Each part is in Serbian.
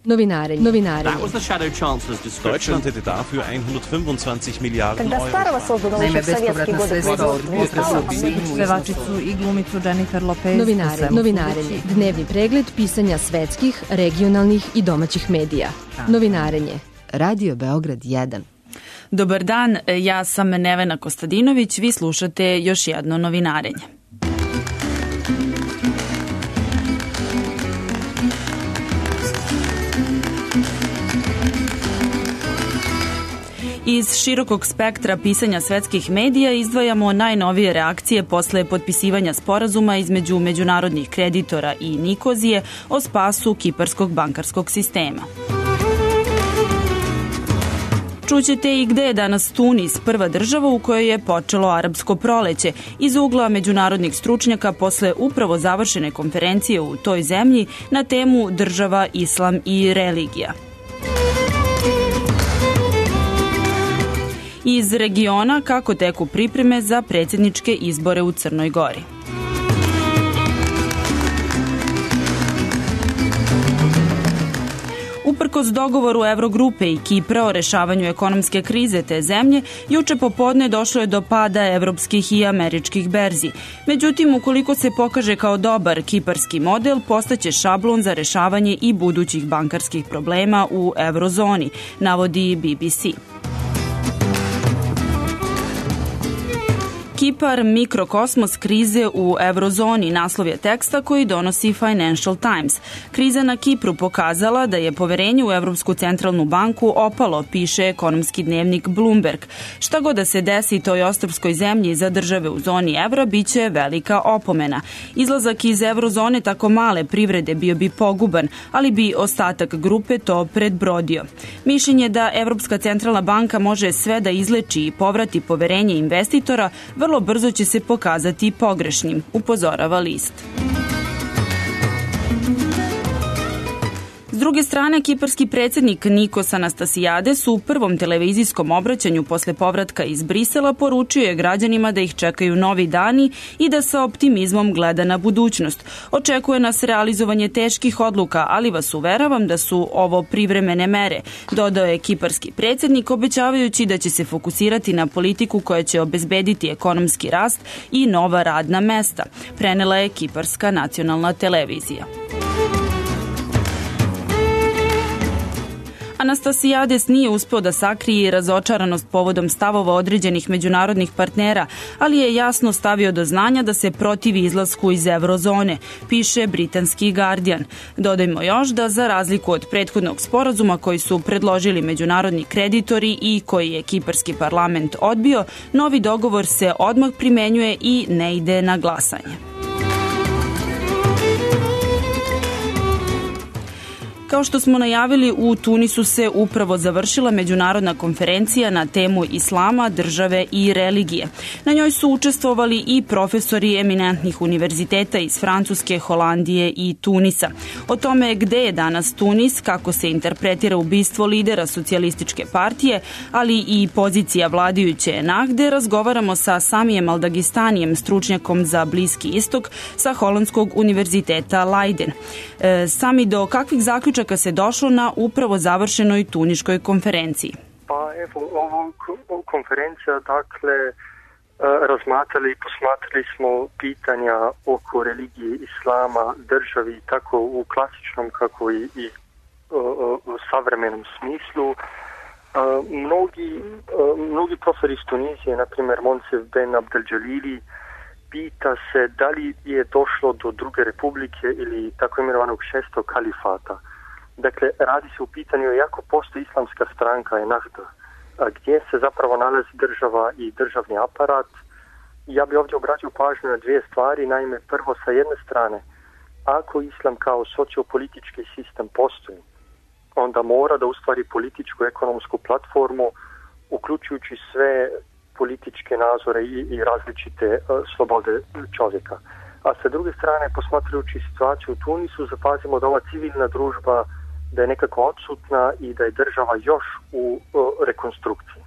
Novinarenje. That was the Shadow Chancellor's description. Deutschland hätte dafür 125 Milijarden Когда Старого создано еще в советские годы pevačicu i glumicu Jennifer Lopez. Novinarenje. Dnevni pregled pisanja svetskih, regionalnih i domaćih medija. Novinarenje. Radio Beograd 1. Dobar dan, ja sam Nevena Kostadinović, vi slušate još jedno novinarenje. Iz širokog spektra pisanja svetskih medija izdvajamo najnovije reakcije posle potpisivanja sporazuma između međunarodnih kreditora i Nikozije o spasu kiparskog bankarskog sistema. Čućete i gde je danas Tunis, prva država u kojoj je počelo arapsko proleće, iz ugla međunarodnih stručnjaka posle upravo završene konferencije u toj zemlji na temu država, islam i religija. Iz regiona kako teku pripreme za predsjedničke izbore u Crnoj Gori. Uprkos dogovoru Evrogrupe i Kipra o rešavanju ekonomske krize te zemlje, juče popodne došlo je do pada evropskih i američkih berzi. Međutim, ukoliko se pokaže kao dobar kiparski model, postaće šablon za rešavanje i budućih bankarskih problema u eurozoni, navodi BBC. Kipar, mikrokosmos krize u eurozoni, naslov je teksta koji donosi Financial Times. Kriza na Kipru pokazala da je poverenje u Evropsku centralnu banku opalo, piše ekonomski dnevnik Bloomberg. Šta god da se desi toj ostrvskoj zemlji za države u zoni evra, biće velika opomena. Izlazak iz eurozone tako male privrede bio bi poguban, ali bi ostatak grupe to predbrodio. Mišljenje da Evropska centralna banka može sve da izleči i povrati poverenje investitora vrlo brzo će se pokazati pogrešnim, upozorava list. S druge strane, kiparski predsjednik Nikos Anastasiades u prvom televizijskom obraćanju posle povratka iz Brisela poručio je građanima da ih čekaju novi dani i da sa optimizmom gleda na budućnost. Očekuje nas realizovanje teških odluka, ali vas uveravam da su ovo privremene mere, dodao je kiparski predsjednik, obećavajući da će se fokusirati na politiku koja će obezbediti ekonomski rast i nova radna mesta, prenela je kiparska nacionalna televizija. Anastasiades nije uspeo da sakrije razočaranost povodom stavova određenih međunarodnih partnera, ali je jasno stavio do znanja da se protivi izlasku iz eurozone, piše britanski Guardian. Dodajmo još da za razliku od prethodnog sporazuma koji su predložili međunarodni kreditori i koji je kiparski parlament odbio, novi dogovor se odmah primenjuje i ne ide na glasanje. Kao što smo najavili, u Tunisu se upravo završila međunarodna konferencija na temu islama, države i religije. Na njoj su učestvovali i profesori eminentnih univerziteta iz Francuske, Holandije i Tunisa. O tome gde je danas Tunis, kako se interpretira ubistvo lidera socijalističke partije, ali i pozicija vladajuće Ennahde, razgovaramo sa Samijem Aldagistanijem, stručnjakom za Bliski istok sa Holandskog univerziteta Leiden. Sami, do kakvih zaključaka se došlo na upravo završenoj tuniškoj konferenciji? Pa evo, ovu konferencija, dakle, razmatrali i posmatrali smo pitanja oko religije, islama, državi, tako u klasičnom kako i u savremenom smislu. Mnogi profesori iz Tunizije, na primjer Monsef Ben Abdeljalili, pita se da li je došlo do druge republike ili tako imenovanog šestog kalifata. Dakle, radi se u pitanju jako postoji islamska stranka Ennahda, gdje se zapravo nalazi država i državni aparat. Ja bih ovdje obratio pažnju na dvije stvari. Naime, prvo, sa jedne strane, ako islam kao sociopolitički sistem postoji, onda mora da ustvari političku ekonomsku platformu, uključujući sve političke nazore i različite slobode čovjeka. A sa druge strane, posmatrajući situaciju u Tunisu, zapazimo da ova civilna družba da je nekako odsutna i da je država još u rekonstrukciji.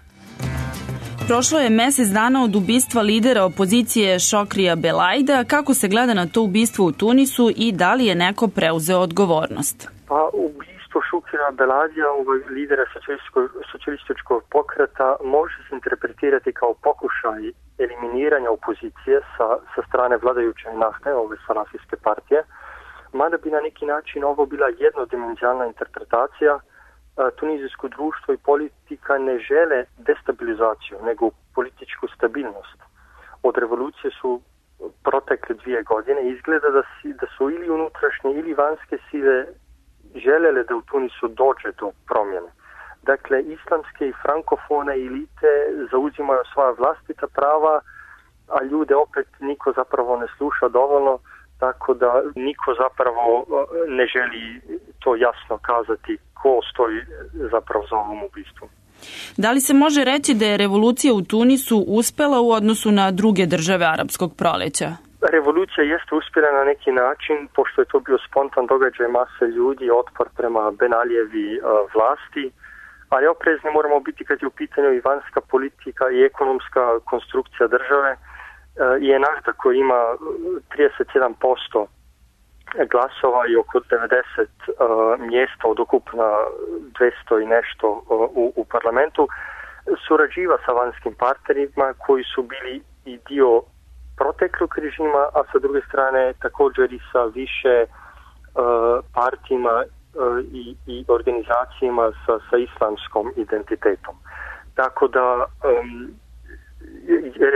Prošlo je mesec dana od ubistva lidera opozicije Šokrija Belaida. Kako se gleda na to ubistvo u Tunisu i da li je neko preuzeo odgovornost? Pa ubistvo ubistvo Šukira Belazija, lidera socijalističkog pokreta, može se interpretirati kao pokušaj eliminiranja opozicije sa strane vladajuće nahte, ove salafijske partije, mada bi na neki način ovo bila jednodimenzionalna interpretacija. Tunizijsko društvo i politika ne žele destabilizaciju, nego političku stabilnost. Od revolucije su protekle 2 godine. Izgleda da su ili unutrašnje ili vanjske sile željele da u Tunisu dođe do promjene. Dakle, islamske i frankofone elite zauzimaju svoja vlastita prava, a ljude opet niko zapravo ne sluša dovoljno, tako da niko zapravo ne želi to jasno kazati ko stoji zapravo za ovom ubistvom. Da li se može reći da je revolucija u Tunisu uspela u odnosu na druge države arapskog proleća? Revolucija jeste uspjela na neki način, pošto je to bio spontan događaj mase ljudi, otpor prema Ben Alijevi vlasti, ali oprezni moramo biti kad je u pitanju i vanjska politika i ekonomska konstrukcija države. I Ennahda koji ima 37% glasova i oko 90 mjesta od ukupna 200 i nešto u parlamentu, surađiva sa vanjskim partnerima koji su bili i dio proteklog režima, a sa druge strane također i sa više partijima i organizacijama sa islamskom identitetom. Tako da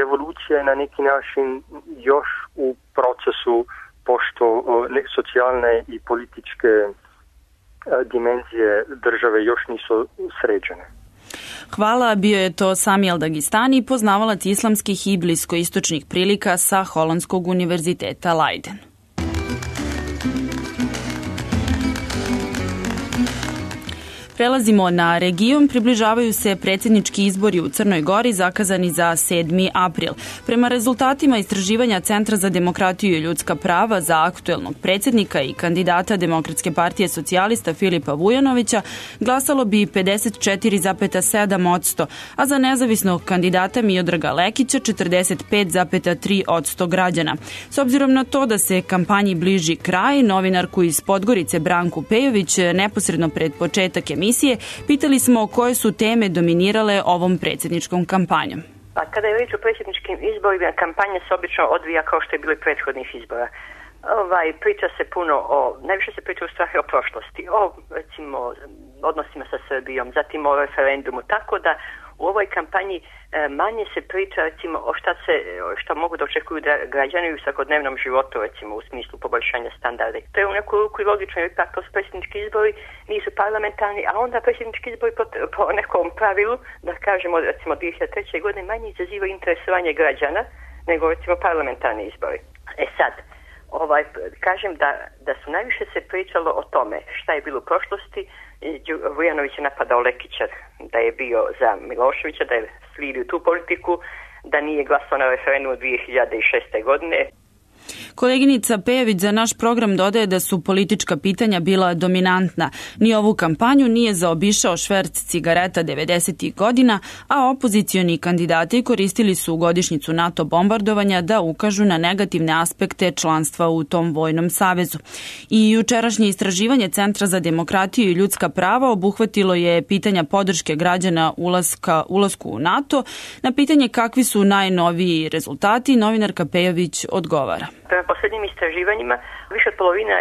revolucija je na neki način još u procesu, pošto socijalne i političke dimenzije države još nisu sređene. Hvala, bio je to Sami El-Dagistani, poznavalac islamskih i bliskoistočnih prilika sa Holandskog univerziteta Leiden. Prelazimo na region, približavaju se predsjednički izbori u Crnoj Gori zakazani za 7. april. Prema rezultatima istraživanja Centra za demokratiju i ljudska prava za aktuelnog predsjednika i kandidata Demokratske partije socijalista Filipa Vujanovića glasalo bi 54,7%, a za nezavisnog kandidata Miodraga Lekića 45,3% građana. S obzirom na to da se kampanji bliži kraj, novinarku iz Podgorice Branku Pejović neposredno pred početak emisije pitali smo koje su teme dominirale ovom predsjedničkom kampanjom. A kada je riječ o predsjedničkim izborima, kampanja se obično odvija kao što je bilo i prethodnih izbora. Priča se puno najviše se priča u stvari o prošlosti, o recimo odnosima sa Srbijom, zatim o referendumu, tako da u ovoj kampanji manje se priča recimo o šta mogu da očekuju građani u svakodnevnom životu, recimo u smislu poboljšanja standarda. To je u neku ruku i logično, jer ipak to su predsjednički izbori, nisu parlamentarni, a onda predsjednički izbori po nekom pravilu, da kažemo recimo 2003. godine, manje izazivaju interesovanje građana nego recimo parlamentarni izbori. Sad, kažem da su najviše se pričalo o tome šta je bilo u prošlosti. Vujanović je napadao Lekića da je bio za Miloševića, da je slijedio tu politiku, da nije glasao na referendumu 2006. godine. Koleginica Pejević za naš program dodaje da su politička pitanja bila dominantna. Ni ovu kampanju nije zaobišao šverc cigareta 90. godina, a opozicioni kandidati koristili su godišnjicu NATO bombardovanja da ukažu na negativne aspekte članstva u tom vojnom savezu. I jučerašnje istraživanje Centra za demokratiju i ljudska prava obuhvatilo je pitanja podrške građana ulasku u NATO. Na pitanje kakvi su najnoviji rezultati, novinarka Pejović odgovara. Prema posljednjim istraživanjima, više od polovine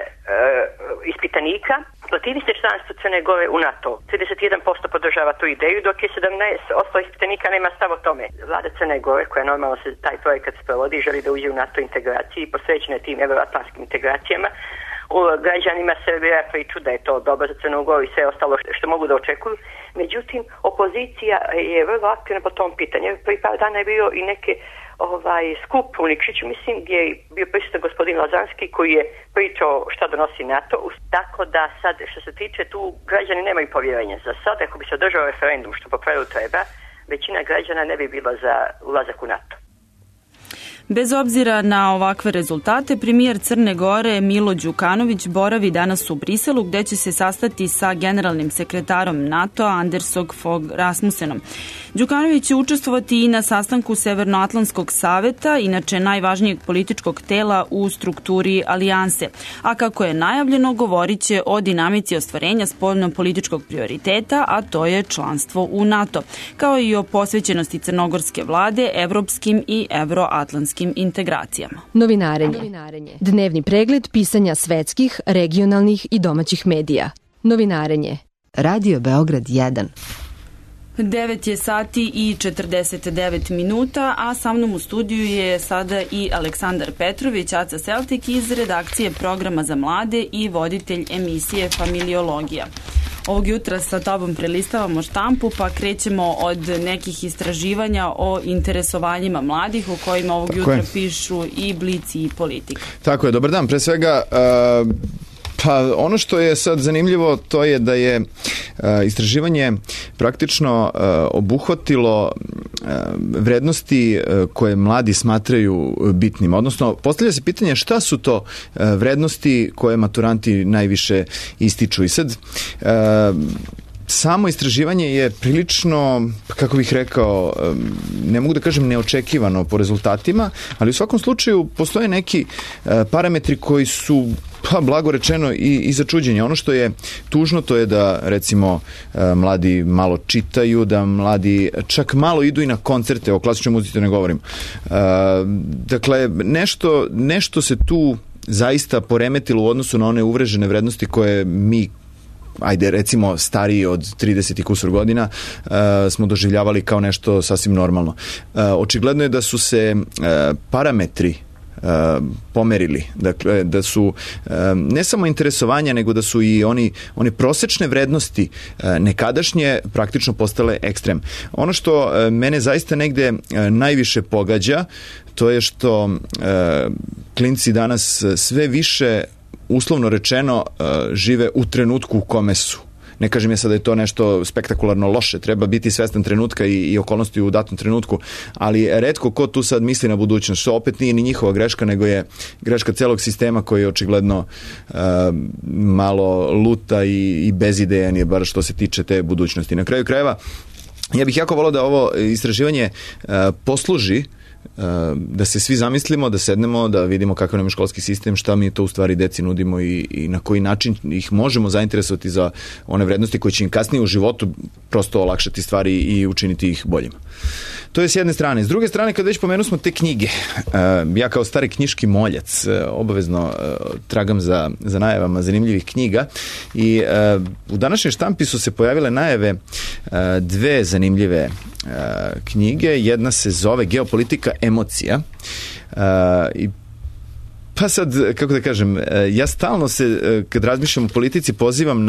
ispitanika protivi se članstvo Crne Gore u NATO. 31% podržava tu ideju, dok je 17% ispitanika nema stav o tome. Vlada Crne Gore, koja normalno se taj projekat sprovodi, želi da uđe u NATO integraciji i posvećena tim euroatlantskim integracijama, građanima servira priču da je to dobro za Crnu Goru i sve ostalo što mogu da očekuju. Međutim, opozicija je vrlo aktivna po tom pitanju. Prvi par dana je bio i neke skup u Nikšiću, mislim, gdje je bio prisutan gospodin Lazanski koji je pričao šta donosi NATO. Tako da sad, što se tiče tu, građani nemaju povjerenja. Za sad, ako bi se održao referendum, što po pravilu treba, većina građana ne bi bila za ulazak u NATO. Bez obzira na ovakve rezultate, premijer Crne Gore Milo Đukanović boravi danas u Briselu gde će se sastati sa generalnim sekretarom NATO Andersog Fogh Rasmussenom. Đukanović će učestvovati i na sastanku Severnoatlantskog saveta, inače najvažnijeg političkog tela u strukturi alijanse. A kako je najavljeno, govorit će o dinamici ostvarenja spoljno-političkog prioriteta, a to je članstvo u NATO, kao i o posvećenosti crnogorske vlade evropskim i evroatlantskim integracijama. Novinarenje. Dnevni pregled pisanja svetskih, regionalnih i domaćih medija. Novinarenje. Radio Beograd 1. 9 je sati i 49 minuta, a sa mnom u studiju je sada i Aleksandar Petrović, Aca Celtik iz redakcije programa za mlade i voditelj emisije Familiologija. Ovog jutra sa tobom prelistavamo štampu, pa krećemo od nekih istraživanja o interesovanjima mladih, u kojima ovog jutra pišu i Blic i Politika. Tako je, dobar dan. Pre svega, pa ono što je sad zanimljivo, to je da je istraživanje praktično obuhvatilo vrednosti koje mladi smatraju bitnim. Odnosno, postavlja se pitanje šta su to vrednosti koje maturanti najviše ističu. I sad, samo istraživanje je prilično, kako bih rekao, ne mogu da kažem neočekivano po rezultatima, ali u svakom slučaju postoje neki parametri koji su blago rečeno i za čuđenje. Ono što je tužno, to je da recimo mladi malo čitaju, da mladi čak malo idu i na koncerte, o klasičnoj muzici ne govorim. Dakle, nešto se tu zaista poremetilo u odnosu na one uvrežene vrednosti koje mi, ajde recimo stariji od 30 i kusur godina, smo doživljavali kao nešto sasvim normalno. Očigledno je da su se parametri pomerili. Dakle, da su ne samo interesovanja, nego da su i one prosečne vrednosti nekadašnje praktično postale ekstrem. Ono što mene zaista negde najviše pogađa, to je što klinci danas sve više, uslovno rečeno, žive u trenutku u kome su. Ne kažem ja sad da je to nešto spektakularno loše, treba biti svestan trenutka i okolnosti u datom trenutku, ali retko ko tu sad misli na budućnost, što opet nije ni njihova greška, nego je greška celog sistema koji je očigledno malo luta i bezidejan je bar što se tiče te budućnosti. Na kraju krajeva, ja bih jako volao da ovo istraživanje posluži da se svi zamislimo, da sednemo, da vidimo kakav nam je školski sistem, šta mi to u stvari deci nudimo i na koji način ih možemo zainteresovati za one vrednosti koje će im kasnije u životu prosto olakšati stvari i učiniti ih boljima. To je s jedne strane. S druge strane, kad već pomenu smo te knjige, ja kao stari knjiški moljac obavezno tragam za najavama zanimljivih knjiga i u današnjoj štampi su se pojavile najave dve zanimljive knjige. Jedna se zove Geopolitika emocija i pa sad, kako da kažem, ja stalno se, kad razmišljam o politici, pozivam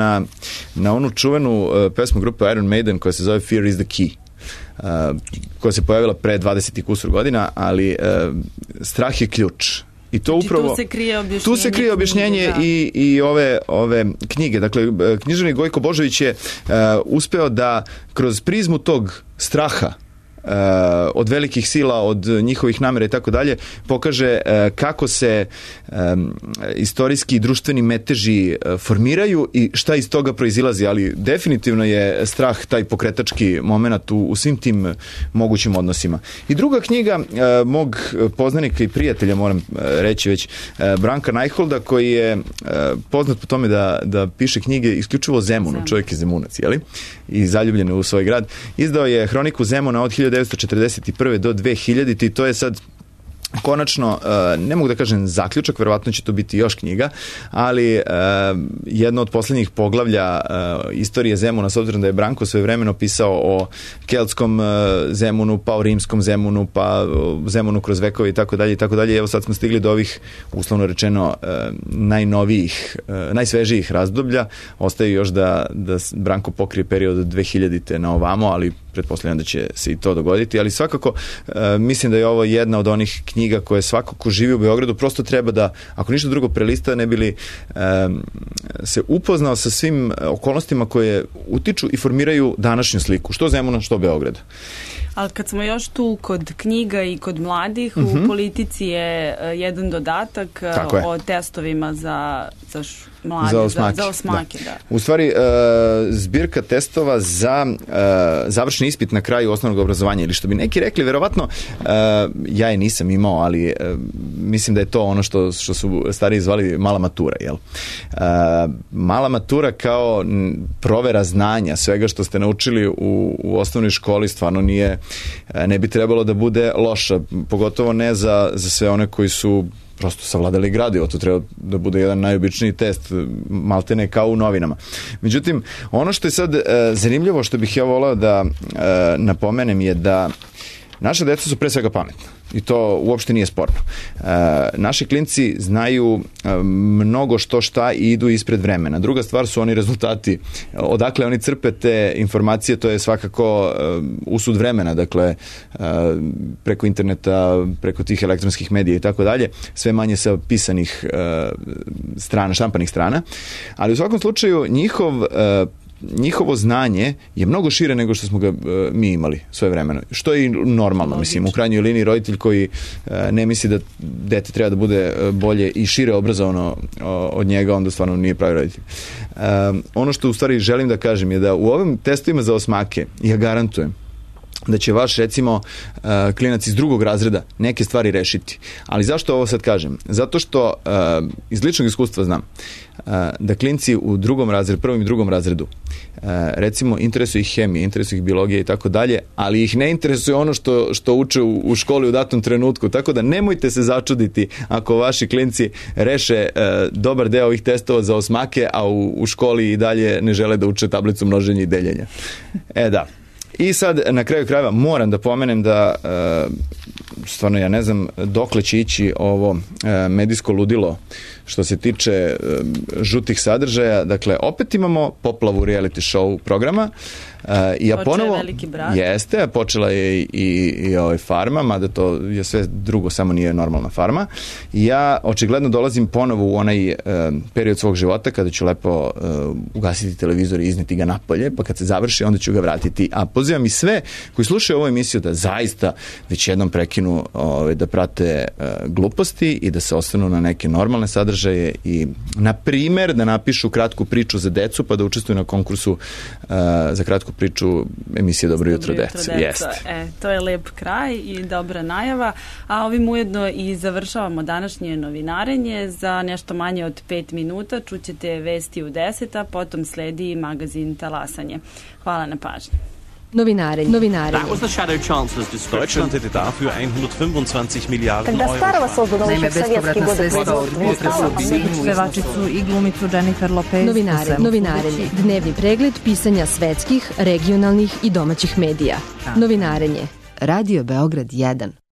na onu čuvenu pesmu grupe Iron Maiden koja se zove Fear is the Key, koja se pojavila pre 20 i kusur godina, ali strah je ključ. I to znači, upravo, tu se krije objašnjenje i ove knjige. Dakle, književnik Gojko Božović je uspeo da kroz prizmu tog straha od velikih sila, od njihovih namera i tako dalje, pokaže kako se istorijski i društveni meteži formiraju i šta iz toga proizilazi, ali definitivno je strah taj pokretački moment u svim tim mogućim odnosima. I druga knjiga mog poznanika i prijatelja, moram reći već, Branka Najholda, koji je poznat po tome da piše knjige isključivo o Zemunu, čovjek je Zemunac, jeli? I zaljubljen u svoj grad. Izdao je Hroniku Zemuna od 1941. do 2000. I to je sad konačno, ne mogu da kažem zaključak, verovatno će to biti još knjiga, ali jedno od poslednjih poglavlja istorije Zemuna, s obzirom da je Branko svojevremeno pisao o keltskom Zemunu, pa o rimskom Zemunu, pa o Zemunu kroz vekove i tako dalje i tako dalje. Evo sad smo stigli do ovih, uslovno rečeno, najnovijih, najsvežijih razdoblja. Ostaje još da Branko pokrije period od 2000. na ovamo, ali pretpostavljam da će se i to dogoditi, ali svakako mislim da je ovo jedna od onih knjiga knjiga koje svako ko živi u Beogradu prosto treba da, ako ništa drugo, prelista, ne bili se upoznao sa svim okolnostima koje utiču i formiraju današnju sliku, što Zemuna, što Beograda. Ali kad smo još tu kod knjiga i kod mladih, u Politici je jedan dodatak o testovima za mlade, za osmake. Da. U stvari, zbirka testova za završni ispit na kraju osnovnog obrazovanja, ili što bi neki rekli, verovatno, ja je nisam imao, ali mislim da je to ono što su stariji zvali mala matura, jel? Mala matura kao provera znanja, svega što ste naučili u osnovnoj školi, stvarno ne bi trebalo da bude loša, pogotovo ne za sve one koji su prosto savladali gradivo, to treba da bude jedan najobičniji test, maltene kao u novinama. Međutim, ono što je sad zanimljivo, što bih ja voleo da napomenem, je da naša deca su pre svega pametna i to uopšte nije sporno. Naši klinci znaju mnogo šta i idu ispred vremena. Druga stvar su oni rezultati. Odakle oni crpe te informacije, to je svakako usud vremena, dakle preko interneta, preko tih elektronskih medija i tako dalje, sve manje sa pisanih strana, štampanih strana, ali u svakom slučaju njihovo znanje je mnogo šire nego što smo ga mi imali svoje vremeno. Što je i normalno, mislim, u krajnjoj liniji roditelj koji ne misli da dete treba da bude bolje i šire obrazovano od njega, onda stvarno nije pravi roditelj. Ono što u stvari želim da kažem je da u ovim testovima za osmake ja garantujem da će vaš, recimo, klinac iz drugog razreda neke stvari rešiti. Ali zašto ovo sad kažem? Zato što iz ličnog iskustva znam da klinci u prvom i drugom razredu, recimo, interesuje ih hemija, interesuje ih biologija i tako dalje, ali ih ne interesuje ono što uče u školi u datom trenutku. Tako da nemojte se začuditi ako vaši klinci reše dobar deo ovih testova za osmake, a u školi i dalje ne žele da uče tablicu množenja i deljenja. Da. I sad, na kraju krajeva, moram da pomenem da stvarno ja ne znam dokle će ići ovo medijsko ludilo što se tiče žutih sadržaja. Dakle, opet imamo poplavu reality show programa. Počela je Veliki brat. Jeste, počela je i Farma, mada to je sve drugo, samo nije normalna Farma. Ja očigledno dolazim ponovo u onaj period svog života kada ću lepo ugasiti televizor i izneti ga napolje, pa kad se završi onda ću ga vratiti. A pozivam i sve koji slušaju ovu emisiju da zaista već jednom prekinu da prate gluposti i da se ostanu na neke normalne sadržaje i, na primer, da napišu kratku priču za decu pa da učestvuju na konkursu za kratku priču emisije Dobro jutro deca. To je lep kraj i dobra najava, a ovim ujedno i završavamo današnje novinarenje. Za nešto manje od 5 minuta čućete vesti u 10, a potom sledi magazin Talasanje. Hvala na pažnji. Novinare. That was the Shadow Chancellor's description. Deutschland hätte dafür 125 Milliarden Когда старого создано еще в советские годы. Pevačicu i glumicu Jennifer Lopez. Novinarenje. Dnevni pregled pisanja svetskih, regionalnih i domaćih medija. Novinarenje. Radio Beograd 1.